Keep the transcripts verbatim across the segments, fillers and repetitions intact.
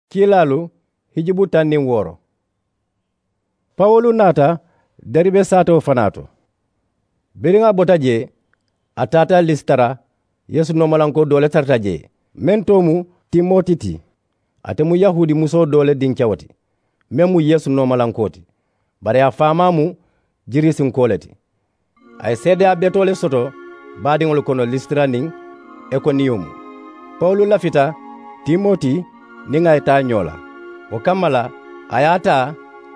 Kiilaalu hijubu taŋ niŋ wooro. Pawulu naata deribe saatewo fanaa to. Biriŋ a bota jee, a taata lisitara. Yeesu noomalankoo doo le tarata jee, meŋ too mu timoti ti. Ate mu yahuudi musoo doo le dinkewo ti, meŋ mu yeesu noomalankoo ti, bari a faamaa mu jiriisinkoo le ti. A ye seedeyaa betoo le soto baadiŋolu kono lisitara niŋ ikoniyomu. Pawulu lafita timoti niŋ a ye taa ñoo la. Wo kamma la, a ye a taa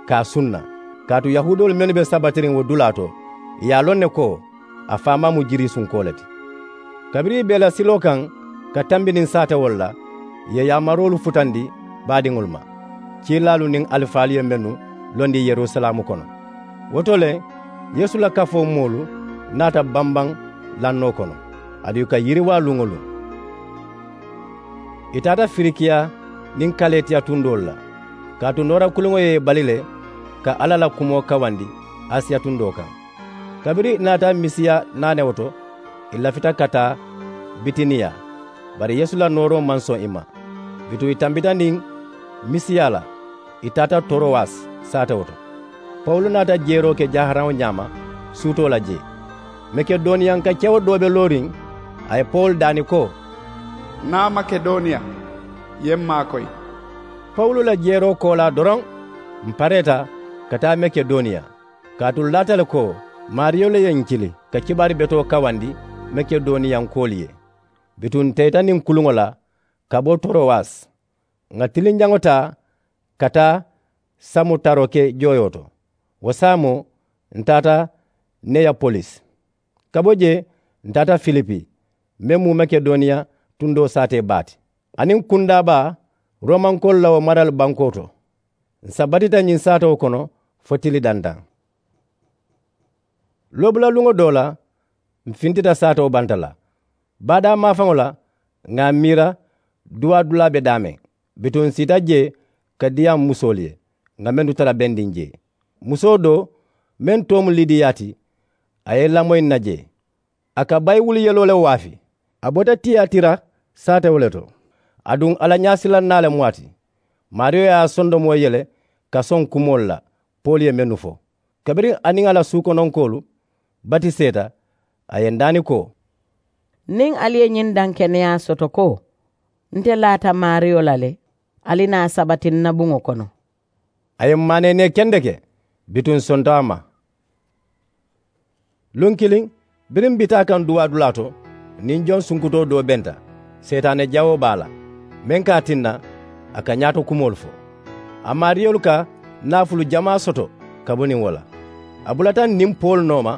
ka a sunna, kaatu yahuudoolu mennu be sabatiriŋ wo dulaa to, ì ye a loŋ ne ko a faamaa mu jiriisunkoo le ti. Kabiriŋ ì be ì la siloo kaŋ ka tambi niŋ saatewolu la, ì ye yaamaroolu futandi baadiŋolu ma, kiilaalu niŋ alifaalu ye mennu londi yerusalaamu kono. Wo to le, yeesu la kafoo moolu naata bambaŋ lannoo kono, aduŋ ì ka yiriwaa luŋ-wo-luŋ. Ì taata firikiya niŋ kaletiya tundoolu la, kaatu noora kuliŋo ye ì bali le ka alla la kumoo kawandi asiya tundoo kaŋ. Kabiriŋ ì naata misiya naanewo to, ì lafita ka taa bitiniya. Bari yeesu la nooroo maŋ soŋ ì ma. Bituŋ ì tambita niŋ misiya la, ì taata torowasi saatewo to. Pawulu naata jeeroo ke jaaharaŋo ñaama suutoo la jee. Makedoniyanka kewo doo be looriŋ, a ye pawulu daani ko, naa makedoniya, ì ye m maakoyi. Pawulu la jeeroo koolaa doroŋ, m pareeta ka taa makedoniya, kaatu m laata le ko maariyo le ye ǹ kili ka kibaari betoo kawandi makedoniyankoolu ye. Bituŋ ǹ teyita niŋ kuluŋo la ka bo torowasi, ŋà tilinjaŋo taa ka taa samutaroke jooyoo to. Wo saamoo ǹ taata neyapolisi. Ka bo jee ǹ taata filipi, meŋ mu makedoniya tundoo saatee baa ti, aniŋ kundaa baa roomankoolu la wo marali bankoo to. Ǹ sabatita ñiŋ saatewo kono fo tili dantaŋ. Loobula luŋo doo la, m fintita saatewo banta la. Baadaa maafaŋo la, ŋà a miira duwaa dulaa be daameŋ. Bituŋ ǹ siita jee ka diyaamu musoolu ye ŋà mennu tara bendiŋ jee. Musoo doo meŋ too mu lidiya ti, a ye ì lamoyi ǹ na jee. A ka bayiwulu yeloo le waafi. A bota tiyatira saatewo le to. Aduŋ a la ñaasilannaa le mu a ti. Maariyo ye a sondomoo yele ka soŋ kumoolu la poolu ye mennu fo. Kabiriŋ a niŋ a la suukononkoolu batiseeta, a ye ǹ daani ko, niŋ ali ye ñiŋ dankeneyaa soto ko nte laata maariyo la le, ali naa sabati n na buŋo kono. A ye m maaneenee kendeke, bituŋ ǹ sonto a ma. Luŋ kiliŋ, biriŋ m bi taa kaŋ duwaa dulaa to, niŋ joŋ sunkutoo doo benta, seetaane jawoo be a la, meŋ ka a tinna a ka ñaato kumoolu fo. A maariyolu ka naafulu jamaa soto ka bo niŋ wo la. A bulata ǹ niŋ pawulu nooma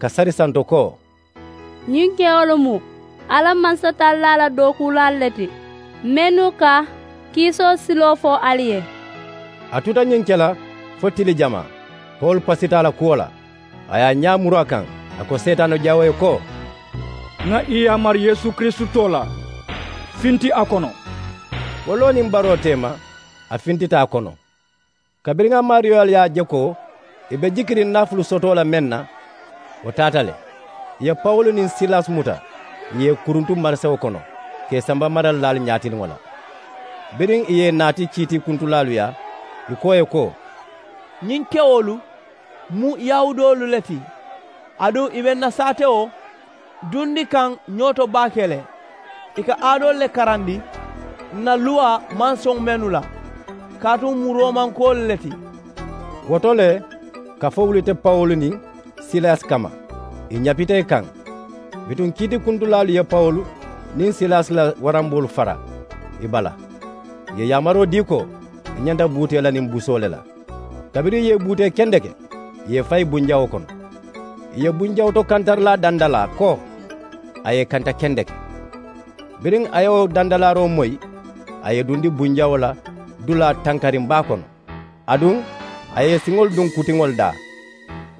ka sari santo ko, ñiŋ kewolu mu alla mansatallaa la dookuulaalu le ti, mennu ka kiisoo siloo fo ali ye. A tuta ñiŋ ke la fo tili jamaa. Pawulu pasita a la kuwo la, a ye a ñaa muru a kaŋ, a ko seetaane jawoo ye ko, ŋà ì yaamari yeesu kirisitoo la, finti a kono. Wo loo niŋ baroo teema, a fintita a kono. Kabiriŋ a maariyoolu ye a je ko ì be jikiriŋ naafulu sotoo la meŋ na, wo taata le. Ì ye pawulu niŋ silasi muta, ì ye ì kuruntu marisewo kono ka ì samba maralilaalu ñaatiliŋo la. Biriŋ ì ye ì naati kiitikuntulaalu yaa, ì ko ì ye ko, ñiŋ kewolu mu yahuudoolu le ti, aduŋ ì be ǹ na saatewo dundi kaŋ ñoo to baake le. Ì ka aadoolu le karandi ǹ na luwaa maŋ soŋ mennu la, kaatu m mu roomankoolu le ti. Wo to le, kafoo wulita pawulu niŋ silasi kamma, ì ñapita ì kaŋ. Bituŋ kiitikuntulaalu ye pawulu niŋ silasi la waramboolu fara ì bala. Ì ye yaamaroo dii ko ì ñanta buutee la niŋ busoo le la. Kabiriŋ ì ye ì buutee kendeke, ì ye ì fayi bunjawoo kono. Ì ye bunjawuto kantarilaa dandalaa ko a ye ì kanta kendeke. Biriŋ a ye wo dandalaaroo moyi, a ye ì dundi bunjawoo la dulaa tankariŋ baa kono. Aduŋ a ye ì siŋolu duŋ kutiŋolu daa.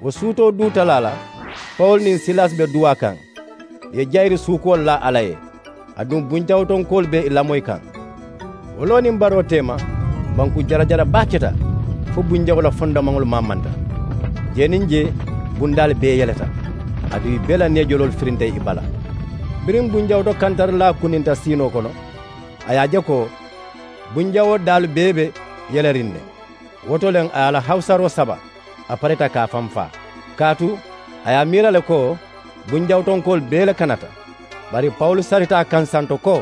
Wo suutoo duu talaa la, pawulu niŋ silasi be duwaa kaŋ, ì ye jayiri suukuwolu laa alla ye. Aduŋ bunjawutonkoolu be ì lamoyi kaŋ. Wo loo niŋ baroo teema, banku jarajara baa keta fo bunjawo la fondomaŋolu maamanta. Jee niŋ jee bundaalu bee yeleta, aduŋ ì bee la neejoloolu firinta ì bala. Biriŋ bunjawuto kantarilaa kuninta siinoo kono, a ye a je ko Bunjawoo daalu bee be yeleriŋ ne. Wo to le a ye a la hawusaroo saba, a parita ka a faŋ faa. Kaatu a ye a miira le ko bunjawutonkoolu bee le kanata. Bari pawulu sarita a kaŋ santo ko,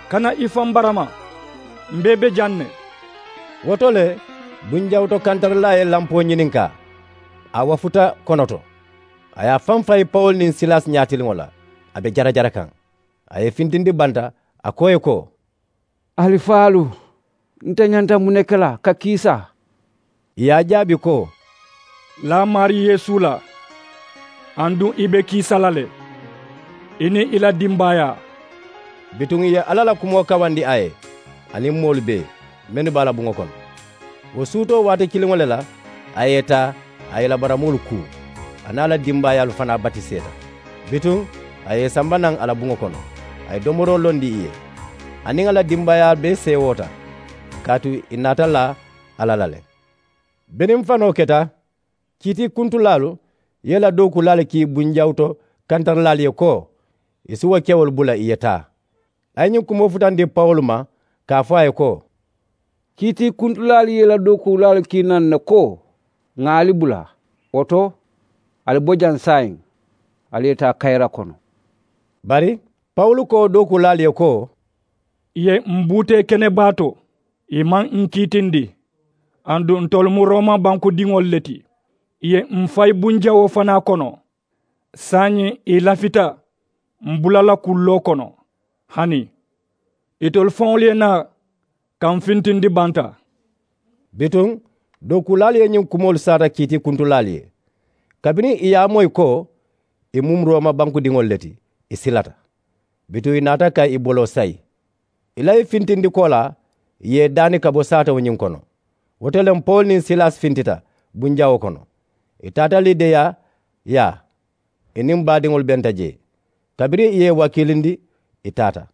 kana i faŋ barama, m̀ bee be jaŋ ne. Wo to le bunjawuto kantarilaa ye lampoo ñininkaa. A wafuta konoto. A ye a faŋ fayi pawulu niŋ silasi ñaatiliŋo la, a be jarajara kaŋ. A ye i fintindi banta, a ko ì ye ko, alifaalu, nte ñanta muŋ ne ke la ka kiisa? Ì ye a jaabi ko, laa maarii yeesu la, aduŋ i be kiisa la le, i niŋ i la dimbaayaa. Bituŋ ì ye alla la kumoo kawandi a ye, aniŋ moolu bee mennu be a la buŋo kono. Wo suutoo waati kiliŋo le la, a ye i taa, a ye i la baramoolu kuu, a niŋ a la dimbaayaalu fanaa batiseeta. Bituŋ a ye i samba naŋ a la buŋo kono, a ye domoroo londi ì ye. A niŋ a la dimbaayaalu bee seewoota, kaatu ì naata laa alla la le. Biriŋ fanoo keta, kiitiikuntulaalu ye i la dookuulaalu kii bunjawuto kantarilaalu ye ko, ì si wo kewolu bula ì ye taa. A ye ñiŋ kumoo futandi pawulu ma, ka a fo a ye ko, kiitiikuntulaalu ye i la dookuulaalu kii naŋ ne ko, ŋà ali bula. Wo to, ali bo jaŋ saayiŋ, ali ye taa kayira kono. Bari pawulu ko dookuulaalu ye ko, ì ye m̀ buutee kene baa to, ì maŋ m̀ kiitindi. Aduŋ ntolu mu rooma bankudiŋolu le ti. Ì ye m̀ fayi bunjawoo fanaa kono, saayiŋ ì lafita m̀ bula la kulloo kono. Hani itolu faŋolu ye naa ka m̀ fintindi banta. Bituŋ dookuulaalu ye ñiŋ kumoolu saata kiitiikuntulaalu ye. Kabiriŋ ì ye a moyi ko ì mu rooma bankudiŋolu le ti, ì silata. Bituŋ ì naata ka ì boloo sayi. Ì la i fintindi koolaa, ì ye i daani ka bo saatewo ñiŋ kono. Wo to le pawulu niŋ silasi fintita bunjawoo kono. Ì taata lidiya yaa, ì niŋ baadiŋolu benta jee. Kabiriŋ ì ye i wakiilindi, ì taata.